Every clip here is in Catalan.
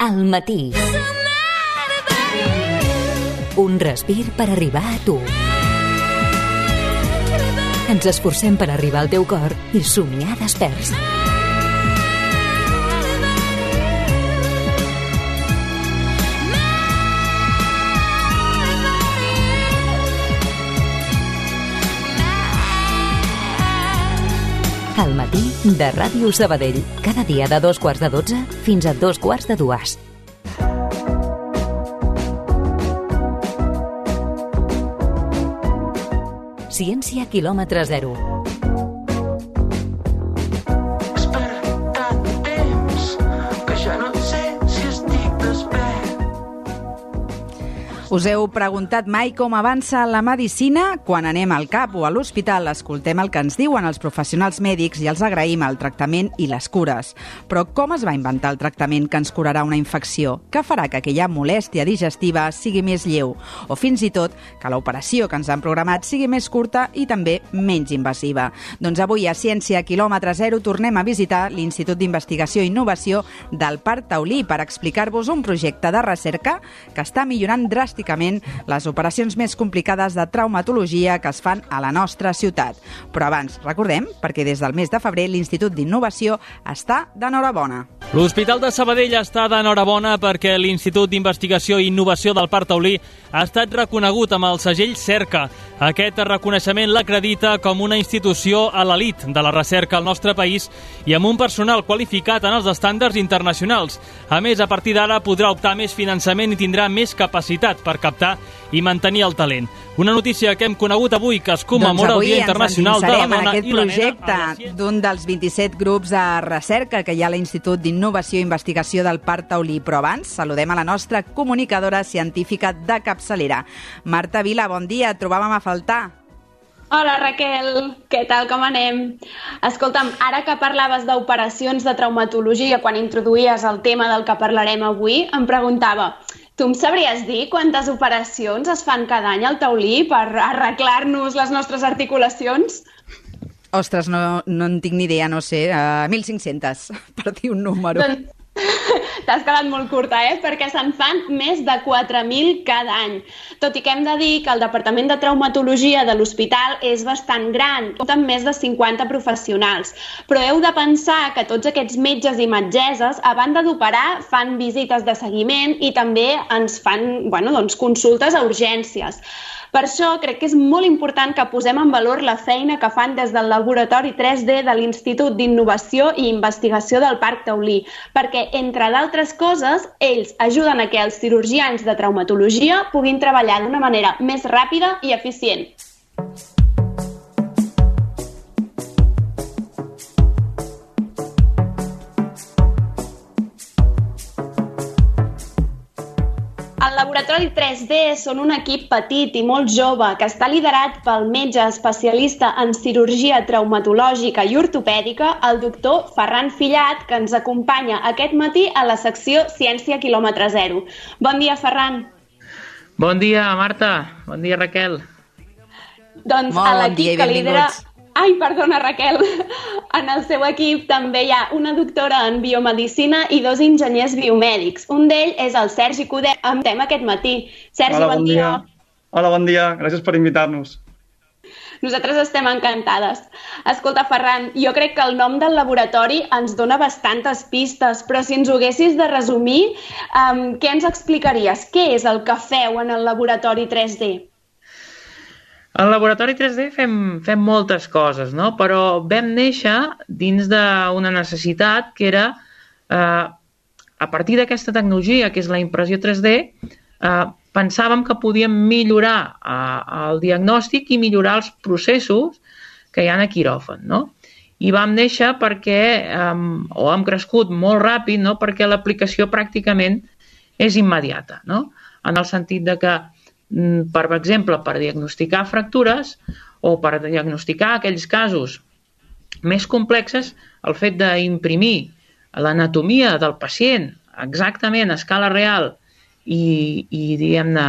Al matí. Un respir per arribar a tu. Ens esforcem per arribar al teu cor i somiar desperts. Al matí de Ràdio Sabadell. Cada dia de 11:45 fins a 11:45. Ciència quilòmetre zero. Us heu preguntat mai com avança la medicina? Quan anem al CAP o a l'hospital escoltem el que ens diuen els professionals mèdics i els agraïm el tractament i les cures. Però com es va inventar el tractament que ens curarà una infecció? Què farà que aquella molèstia digestiva sigui més lleu? O fins i tot que l'operació que ens han programat sigui més curta i també menys invasiva? Doncs avui a Ciència quilòmetre zero tornem a visitar l'Institut d'Investigació i Innovació del Parc Taulí per explicar-vos un projecte de recerca que està millorant dràsticament les operacions més complicades de traumatologia que es fan a la nostra ciutat. Però abans, recordem, perquè des del mes de febrer l'Institut d'Innovació està d'enhorabona. L'Hospital de Sabadell està d'enhorabona perquè l'Institut d'Investigació i Innovació del Parc Taulí ha estat reconegut amb el segell Cerca. Aquest reconeixement l'acredita com una institució a l'elit de la recerca al nostre país i amb un personal qualificat en els estàndards internacionals. A més, a partir d'ara podrà optar més finançament i tindrà més capacitat per captar i mantenir el talent. Una notícia que hem conegut avui que es commemora el Dia Internacional de la Dona i la Nena. Aquest projecte d'un dels 27 grups de recerca que hi ha a l'Institut d'Innovació i Investigació del Parc Taulí. Però abans saludem a la nostra comunicadora científica de capçalera. Marta Vila, bon dia, et trobàvem a faltar. Hola Raquel, què tal, com anem? Escolta'm, ara que parlaves d'operacions de traumatologia quan introduïes el tema del que parlarem avui, em preguntava, tu em sabries dir quantes operacions es fan cada any al Taulí per arreglar-nos les nostres articulacions? Ostres, no en tinc ni idea, no sé, 1.500, per dir un número. Doncs t'has quedat molt curta, perquè se'n fan més de 4.000 cada any. Tot i que hem de dir que el Departament de Traumatologia de l'hospital és bastant gran, compta amb més de 50 professionals. Però heu de pensar que tots aquests metges i metgesses, a banda d'operar, fan visites de seguiment i també ens fan consultes a urgències. Per això crec que és molt important que posem en valor la feina que fan des del Laboratori 3D de l'Institut d'Innovació i Investigació del Parc Taulí, perquè, entre d'altres coses, ells ajuden a que els cirurgians de traumatologia puguin treballar d'una manera més ràpida i eficient. El Laboratori 3D són un equip petit i molt jove que està liderat pel metge especialista en cirurgia traumatològica i ortopèdica, el doctor Ferran Fillat, que ens acompanya aquest matí a la secció Ciència quilòmetre zero. Bon dia, Ferran. Bon dia, Marta. Bon dia, Raquel. Doncs a l'equip que lidera... Ai, perdona, Raquel. En el seu equip també hi ha una doctora en biomedicina i 2 enginyers biomèdics. Un d'ells és el Sergi Codet, amb tema aquest matí. Sergi, bon dia. Hola, bon dia. Gràcies per invitar-nos. Nosaltres estem encantades. Escolta, Ferran, jo crec que el nom del laboratori ens dona bastantes pistes, però si ens ho haguessis de resumir, què ens explicaries? Què és el que feu en el Laboratori 3D? Al Laboratori 3D fem moltes coses, no? Però vam néixer dins d'una necessitat que era, a partir d'aquesta tecnologia, que és la impressió 3D, pensàvem que podíem millorar el diagnòstic i millorar els processos que hi ha a quiròfan, no? I vam néixer perquè, o hem crescut molt ràpid, no? Perquè l'aplicació pràcticament és immediata, no? En el sentit de que per exemple, per diagnosticar fractures o per diagnosticar aquells casos més complexes, el fet d'imprimir l'anatomia del pacient exactament a escala real i diguem-ne,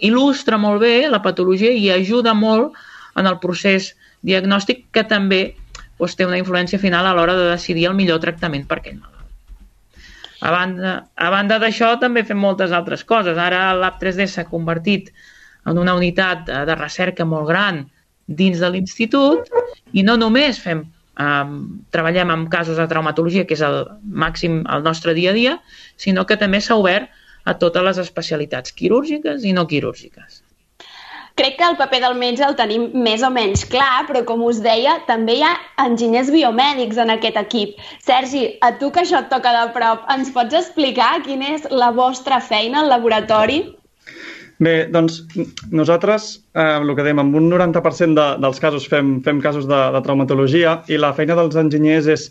il·lustra molt bé la patologia i ajuda molt en el procés diagnòstic que també té una influència final a l'hora de decidir el millor tractament per aquell malalt. A banda d'això, també fem moltes altres coses. Ara el Lab 3D s'ha convertit en una unitat de recerca molt gran dins de l'institut i no només treballem amb casos de traumatologia, que és el màxim el nostre dia a dia, sinó que també s'ha obert a totes les especialitats quirúrgiques i no quirúrgiques. Crec que el paper del metge el tenim més o menys clar, però com us deia, també hi ha enginyers biomèdics en aquest equip. Sergi, a tu que això et toca de prop, ens pots explicar quina és la vostra feina al laboratori? Bé, doncs nosaltres, el que dèiem, amb un 90% dels casos fem casos de traumatologia i la feina dels enginyers és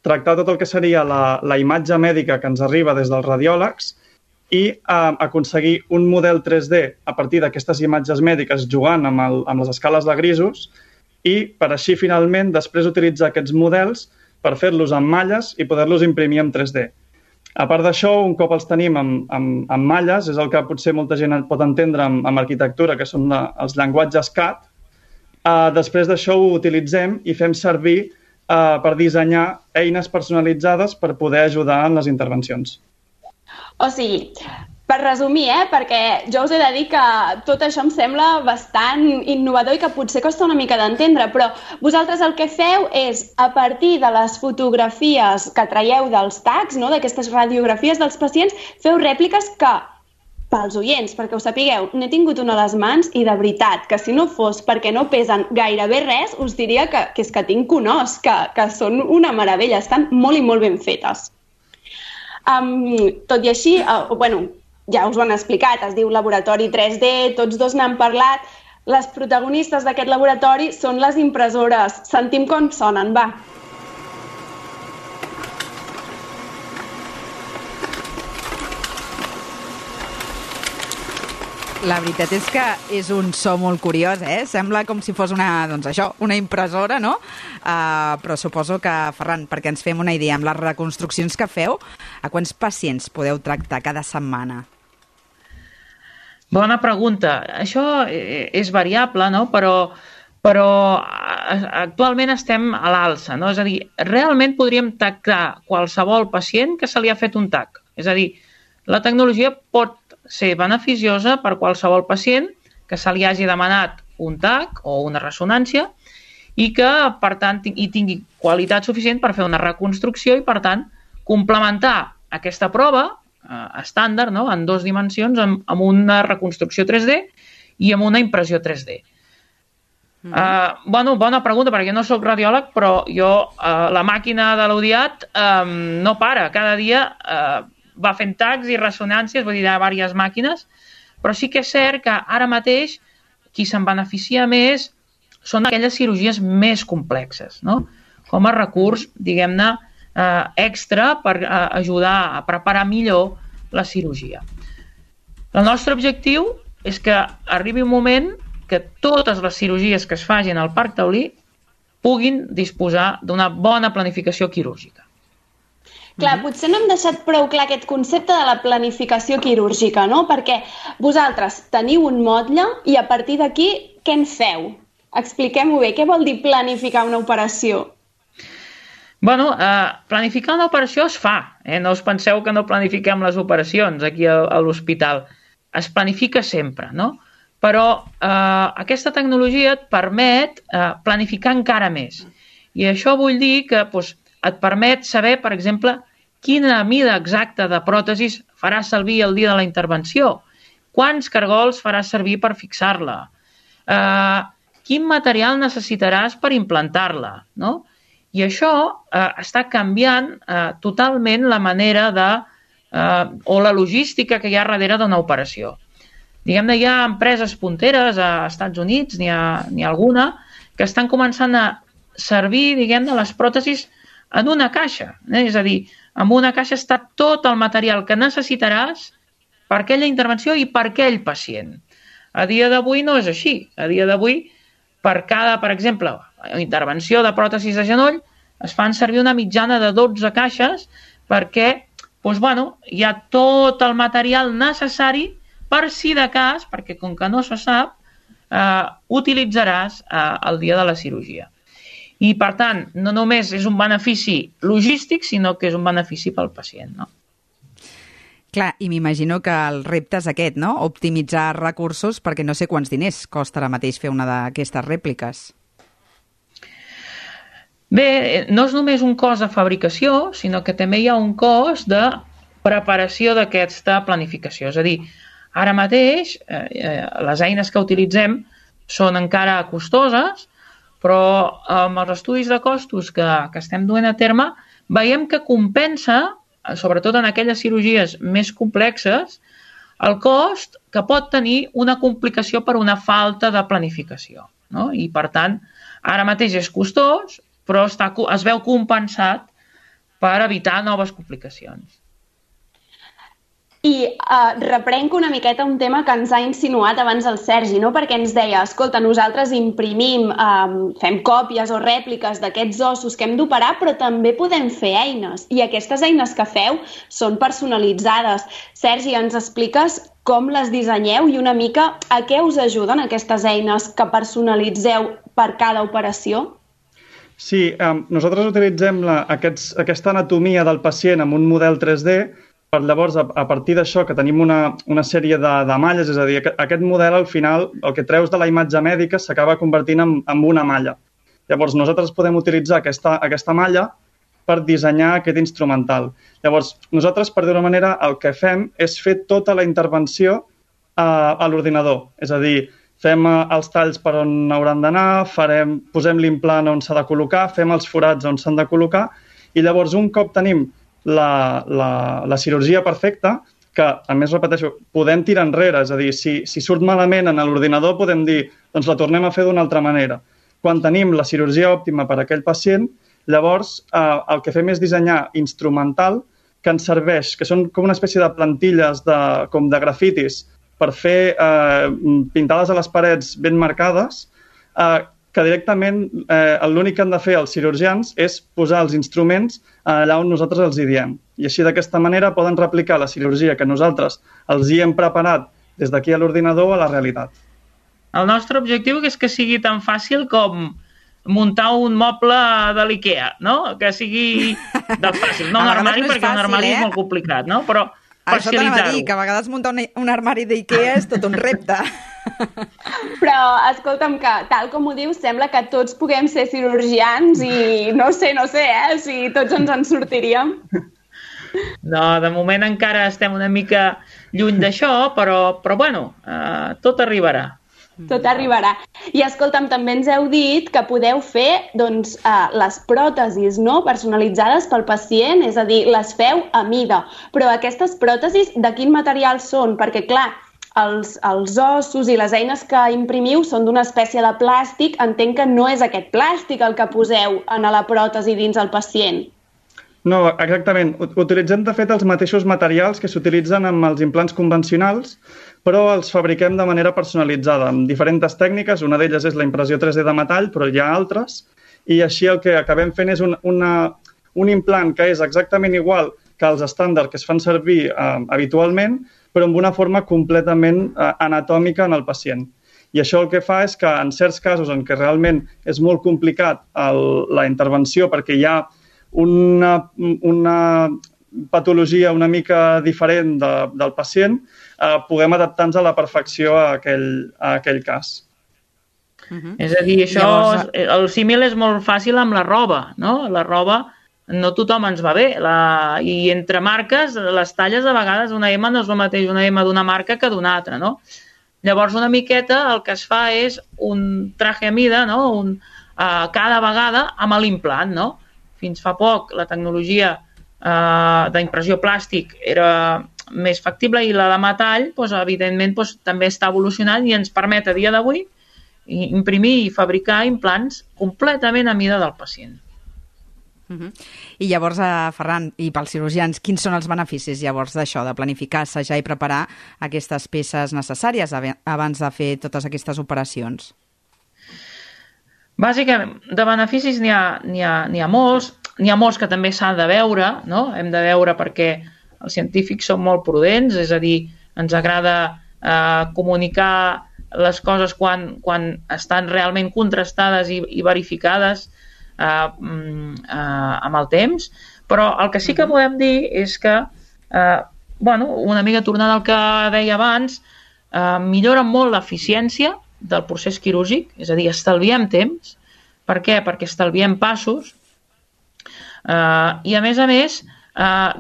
tractar tot el que seria la imatge mèdica que ens arriba des dels radiòlegs i aconseguir un model 3D a partir d'aquestes imatges mèdiques jugant amb les escales de grisos i per així finalment després utilitzar aquests models per fer-los amb malles i poder-los imprimir en 3D. A part d'això, un cop els tenim amb malles, és el que potser molta gent pot entendre amb arquitectura, que són els llenguatges CAD. Després d'això ho utilitzem i fem servir per dissenyar eines personalitzades per poder ajudar en les intervencions. O sigui, per resumir, perquè jo us he de dir que tot això em sembla bastant innovador i que potser costa una mica d'entendre, però vosaltres el que feu és, a partir de les fotografies que traieu dels tacs, no, d'aquestes radiografies dels pacients, feu rèpliques que, pels oients, perquè ho sapigueu, n'he tingut una a les mans i de veritat, que si no fos perquè no pesen gairebé res, us diria que és que tinc un os, que són una meravella, estan molt i molt ben fetes. Tot i així, ja us ho han explicat, es diu Laboratori 3D, tots dos n'han parlat. Les protagonistes d'aquest laboratori són les impressores. Sentim com sonen, va. La veritat és que és un so molt curiós, Sembla com si fos una impressora, no? Però suposo que, Ferran, perquè ens fem una idea, amb les reconstruccions que feu, a quants pacients podeu tractar cada setmana? Bona pregunta. Això és variable, no? Però actualment estem a l'alça, no? És a dir, realment podríem tractar qualsevol pacient que se li ha fet un TAC. És a dir, la tecnologia pot ser beneficiosa per qualsevol pacient que se li hagi demanat un TAC o una ressonància i que, per tant, tingui qualitat suficient per fer una reconstrucció i, per tant, complementar aquesta prova estàndard, no?, en 2 dimensions, amb una reconstrucció 3D i amb una impressió 3D. Bona pregunta, perquè no soc radiòleg, però jo, la màquina de l'Audiat no para. Cada dia va fent tacs i ressonàncies, vull dir, hi ha diverses màquines, però sí que és cert que ara mateix qui se'n beneficia més són aquelles cirurgies més complexes, no? Com a recurs, diguem-ne, extra per ajudar a preparar millor la cirurgia. El nostre objectiu és que arribi un moment que totes les cirurgies que es facin al Parc Taulí puguin disposar d'una bona planificació quirúrgica. Clar, potser no hem deixat prou clar aquest concepte de la planificació quirúrgica, no? Perquè vosaltres teniu un motlle i a partir d'aquí què en feu? Expliquem-ho bé, què vol dir planificar una operació? Planificar una operació es fa, no us penseu que no planifiquem les operacions aquí a l'hospital. Es planifica sempre, no? Però aquesta tecnologia et permet planificar encara més. I això vull dir que et permet saber, per exemple, quina mida exacta de pròtesis faràs servir el dia de la intervenció, quants cargols faràs servir per fixar-la, quin material necessitaràs per implantar-la, no? I això està canviant totalment la manera o la logística que hi ha darrere d'una operació. Diguem-ne, hi ha empreses punteres a Estats Units, n'hi ha alguna, que estan començant a servir, diguem-ne, les pròtesis en una caixa. És a dir, en una caixa està tot el material que necessitaràs per aquella intervenció i per aquell pacient. A dia d'avui no és així. A dia d'avui, per cada, per exemple, intervenció de pròtesis de genoll, es fan servir una mitjana de 12 caixes perquè hi ha tot el material necessari per si de cas, perquè com que no se sap, utilitzaràs el dia de la cirurgia. I, per tant, no només és un benefici logístic, sinó que és un benefici pel pacient, no? Clar, i m'imagino que el repte és aquest, no? Optimitzar recursos, perquè no sé quants diners costa ara mateix fer una d'aquestes rèpliques. Bé, no és només un cost de fabricació, sinó que també hi ha un cost de preparació d'aquesta planificació. És a dir, ara mateix les eines que utilitzem són encara costoses, però amb els estudis de costos que estem duent a terme veiem que compensa, sobretot en aquelles cirurgies més complexes, el cost que pot tenir una complicació per una falta de planificació, no? I, per tant, ara mateix és costós, però es veu compensat per evitar noves complicacions. I reprenc una miqueta un tema que ens ha insinuat abans el Sergi, no? Perquè ens deia, escolta, nosaltres imprimim, fem còpies o rèpliques d'aquests ossos que hem d'operar, però també podem fer eines. I aquestes eines que feu són personalitzades. Sergi, ens expliques com les dissenyeu i una mica a què us ajuden aquestes eines que personalitzeu per cada operació? Sí, nosaltres utilitzem aquesta anatomia del pacient amb un model 3D. Per llavors, a partir d'això, que tenim una sèrie de malles, és a dir, aquest model, al final, el que treus de la imatge mèdica s'acaba convertint en una malla. Llavors, nosaltres podem utilitzar aquesta malla per dissenyar aquest instrumental. Llavors, nosaltres, per d'una manera, el que fem és fer tota la intervenció a l'ordinador. És a dir, fem els talls per on hauran d'anar, posem l'implant on s'ha de col·locar, fem els forats on s'han de col·locar, i llavors, un cop tenim la cirurgia perfecta, que, a més, repeteixo, podem tirar enrere, és a dir, si surt malament en l'ordinador podem dir, doncs la tornem a fer d'una altra manera. Quan tenim la cirurgia òptima per a aquell pacient, llavors el que fem és dissenyar instrumental que ens serveix, que són com una espècie de plantilles com de grafitis per fer pintades a les parets ben marcades, que directament l'únic que han de fer els cirurgians és posar els instruments allà on nosaltres els hi diem. I així d'aquesta manera poden replicar la cirurgia que nosaltres els hi hem preparat des d'aquí a l'ordinador a la realitat. El nostre objectiu és que sigui tan fàcil com muntar un moble de l'IKEA, no? Que sigui del fàcil. No un armari, perquè un armari és molt complicat, no? Però això t'anava a dir, que a vegades muntar un armari d'IKEA és tot un repte. Però, escolta'm, que tal com ho dius, sembla que tots puguem ser cirurgians i no sé, si tots ens en sortiríem. No, de moment encara estem una mica lluny d'això, però bueno, tot arribarà. Tot arribarà. I escolta'm, també ens heu dit que podeu fer les pròtesis, no? Personalitzades pel pacient, és a dir, les feu a mida. Però aquestes pròtesis de quin material són? Perquè, clar, els ossos i les eines que imprimiu són d'una espècie de plàstic. Entenc que no és aquest plàstic el que poseu en la pròtesi dins el pacient. No, exactament. Utilitzem, de fet, els mateixos materials que s'utilitzen amb els implants convencionals, però els fabriquem de manera personalitzada, amb diferents tècniques. Una d'elles és la impressió 3D de metall, però hi ha altres. I així el que acabem fent és un implant que és exactament igual que els estàndards que es fan servir habitualment, però amb una forma completament anatòmica en el pacient. I això el que fa és que en certs casos en què realment és molt complicat la intervenció perquè hi ha una patologia una mica diferent del pacient, puguem adaptar-nos a la perfecció a aquell cas. És a dir, el símil és molt fàcil amb la roba, no? La roba no tothom ens va bé, i entre marques, les talles a vegades una M no és el mateix una M d'una marca que d'una altra, no? Llavors una miqueta el que es fa és un traje a mida, no? Cada vegada amb l'implant, no? Fins fa poc la tecnologia d'impressió plàstic era més factible i la de metall, evidentment, també està evolucionant i ens permet a dia d'avui imprimir i fabricar implants completament a mida del pacient. I llavors, Ferran, i pels cirurgians, quins són els beneficis llavors d'això, de planificar, assajar i preparar aquestes peces necessàries abans de fer totes aquestes operacions? Bàsicament, de beneficis n'hi ha molts. N'hi ha molts que també s'han de veure, no? Hem de veure perquè els científics són molt prudents, és a dir, ens agrada comunicar les coses quan estan realment contrastades i verificades amb el temps, però el que sí que podem dir és que una mica tornant al que deia abans, millora molt l'eficiència del procés quirúrgic, és a dir, estalviem temps. Per què? Perquè estalviem passos i, a més,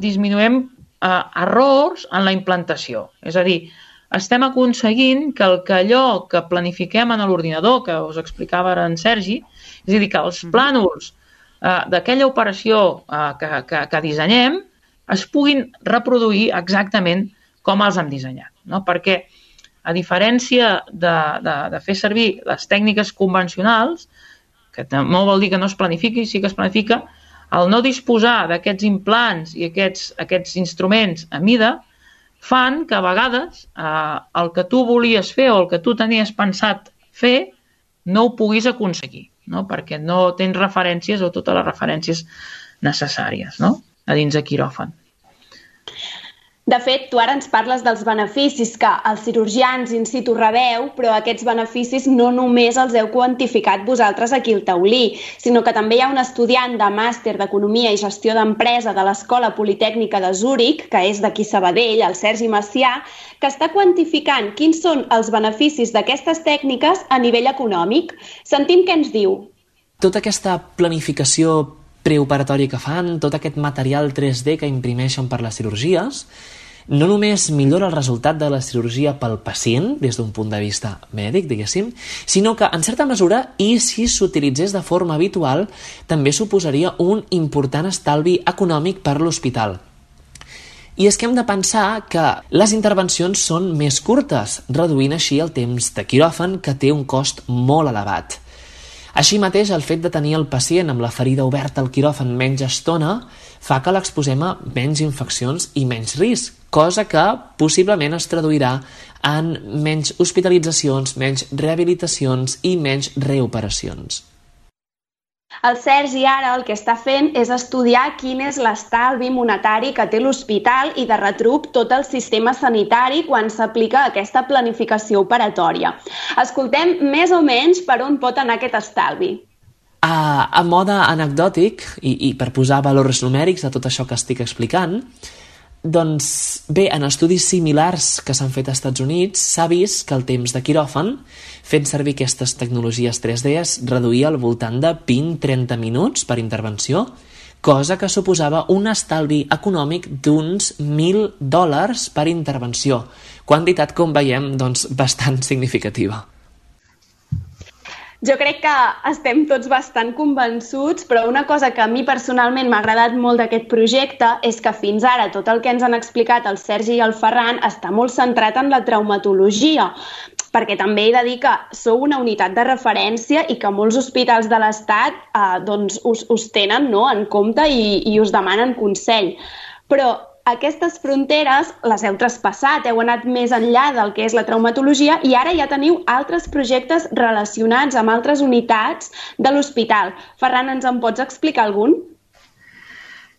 disminuïm errors en la implantació. És a dir, estem aconseguint que allò que planifiquem en l'ordinador, que us explicava ara en Sergi, és a dir, que els plànols d'aquella operació que dissenyem es puguin reproduir exactament com els hem dissenyat. No? Perquè, a diferència de fer servir les tècniques convencionals, que no vol dir que no es planifiqui, sí que es planifica, el no disposar d'aquests implants i aquests instruments a mida fan que a vegades el que tu volies fer o el que tu tenies pensat fer no ho puguis aconseguir, no? Perquè no tens referències o totes les referències necessàries, no? A dins de quiròfan. De fet, tu ara ens parles dels beneficis que els cirurgians in situ rebeu, però aquests beneficis no només els heu quantificat vosaltres aquí al Taulí, sinó que també hi ha un estudiant de màster d'Economia i Gestió d'Empresa de l'Escola Politècnica de Zúrich, que és d'aquí Sabadell, el Sergi Macià, que està quantificant quins són els beneficis d'aquestes tècniques a nivell econòmic. Sentim què ens diu. Tota aquesta planificació preoperatòria que fan, tot aquest material 3D que imprimeixen per les cirurgies, no només millora el resultat de la cirurgia pel pacient, des d'un punt de vista mèdic, diguéssim, sinó que, en certa mesura, i si s'utilitzés de forma habitual, també suposaria un important estalvi econòmic per l'hospital. I és que hem de pensar que les intervencions són més curtes, reduint així el temps de quiròfan, que té un cost molt elevat. Així mateix, el fet de tenir el pacient amb la ferida oberta al quiròfan menys estona fa que l'exposem a menys infeccions i menys risc, cosa que possiblement es traduirà en menys hospitalitzacions, menys rehabilitacions i menys reoperacions. El Sergi ara el que està fent és estudiar quin és l'estalvi monetari que té l'hospital i de retruc tot el sistema sanitari quan s'aplica aquesta planificació operatòria. Escoltem més o menys per on pot anar aquest estalvi. A mode anecdòtic, i per posar valors numèrics a tot això que estic explicant, doncs bé, en estudis similars que s'han fet als Estats Units s'ha vist que el temps de quiròfan fent servir aquestes tecnologies 3D es reduïa al voltant de 20-30 minuts per intervenció, cosa que suposava un estalvi econòmic d'uns $1.000 per intervenció, quantitat, com veiem, doncs, bastant significativa. Jo crec que estem tots bastant convençuts, però una cosa que a mi personalment m'ha agradat molt d'aquest projecte és que fins ara tot el que ens han explicat el Sergi i el Ferran està molt centrat en la traumatologia, perquè també he de dir que sou una unitat de referència i que molts hospitals de l'Estat us tenen, no, en compte i us demanen consell. Però aquestes fronteres les heu traspassat, heu anat més enllà del que és la traumatologia i ara ja teniu altres projectes relacionats amb altres unitats de l'hospital. Ferran, ens en pots explicar algun?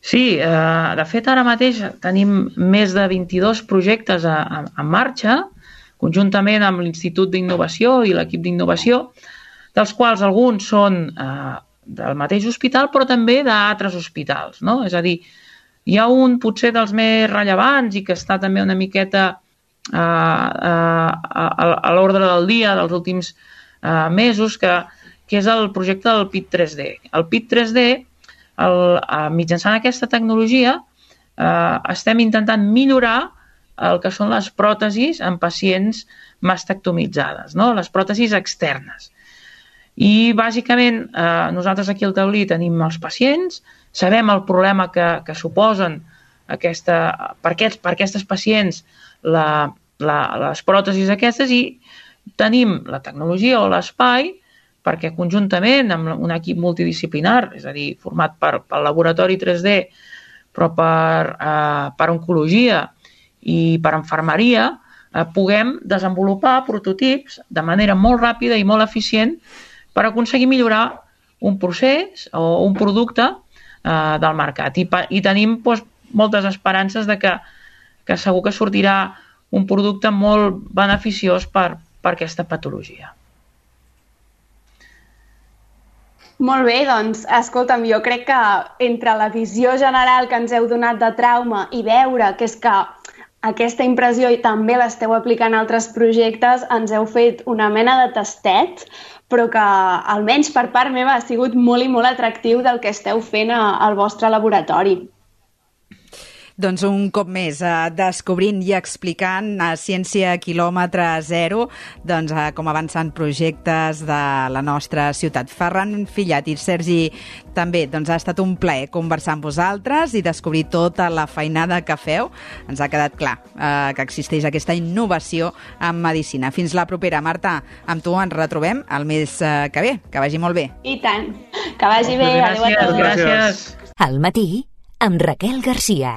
Sí, de fet ara mateix tenim més de 22 projectes en marxa, conjuntament amb l'Institut d'Innovació i l'equip d'innovació, dels quals alguns són del mateix hospital però també d'altres hospitals, no? És a dir, hi ha un potser dels més rellevants i que està també una miqueta a l'ordre del dia dels últims mesos, que és el projecte del PIT 3D. El PIT 3D, mitjançant aquesta tecnologia, estem intentant millorar el que són les pròtesis en pacients mastectomitzades, no? Les pròtesis externes. I, bàsicament, nosaltres aquí al Taulí tenim els pacients, sabem el problema que suposen per aquestes pacients les pròtesis aquestes i tenim la tecnologia o l'espai perquè conjuntament amb un equip multidisciplinar, és a dir, format pel laboratori 3D, però per oncologia i per infermeria, puguem desenvolupar prototips de manera molt ràpida i molt eficient per aconseguir millorar un procés o un producte del mercat. I tenim moltes esperances de que segur que sortirà un producte molt beneficiós per aquesta patologia. Molt bé, doncs, escolta'm, jo crec que entre la visió general que ens heu donat de trauma i veure que és que aquesta impressió i també l'esteu aplicant a altres projectes, ens heu fet una mena de tastet, però que almenys per part meva ha sigut molt i molt atractiu del que esteu fent al vostre laboratori. Doncs un cop més, descobrint i explicant a Ciència quilòmetre zero com avancen projectes de la nostra ciutat. Ferran Fillat i Sergi també, ha estat un plaer conversar amb vosaltres i descobrir tota la feinada que feu. Ens ha quedat clar que existeix aquesta innovació en medicina. Fins la propera, Marta. Amb tu ens retrobem el mes que ve. Que vagi molt bé. I tant. Que vagi bé. Adéu a tots. Gràcies. Al matí, amb Raquel Garcia.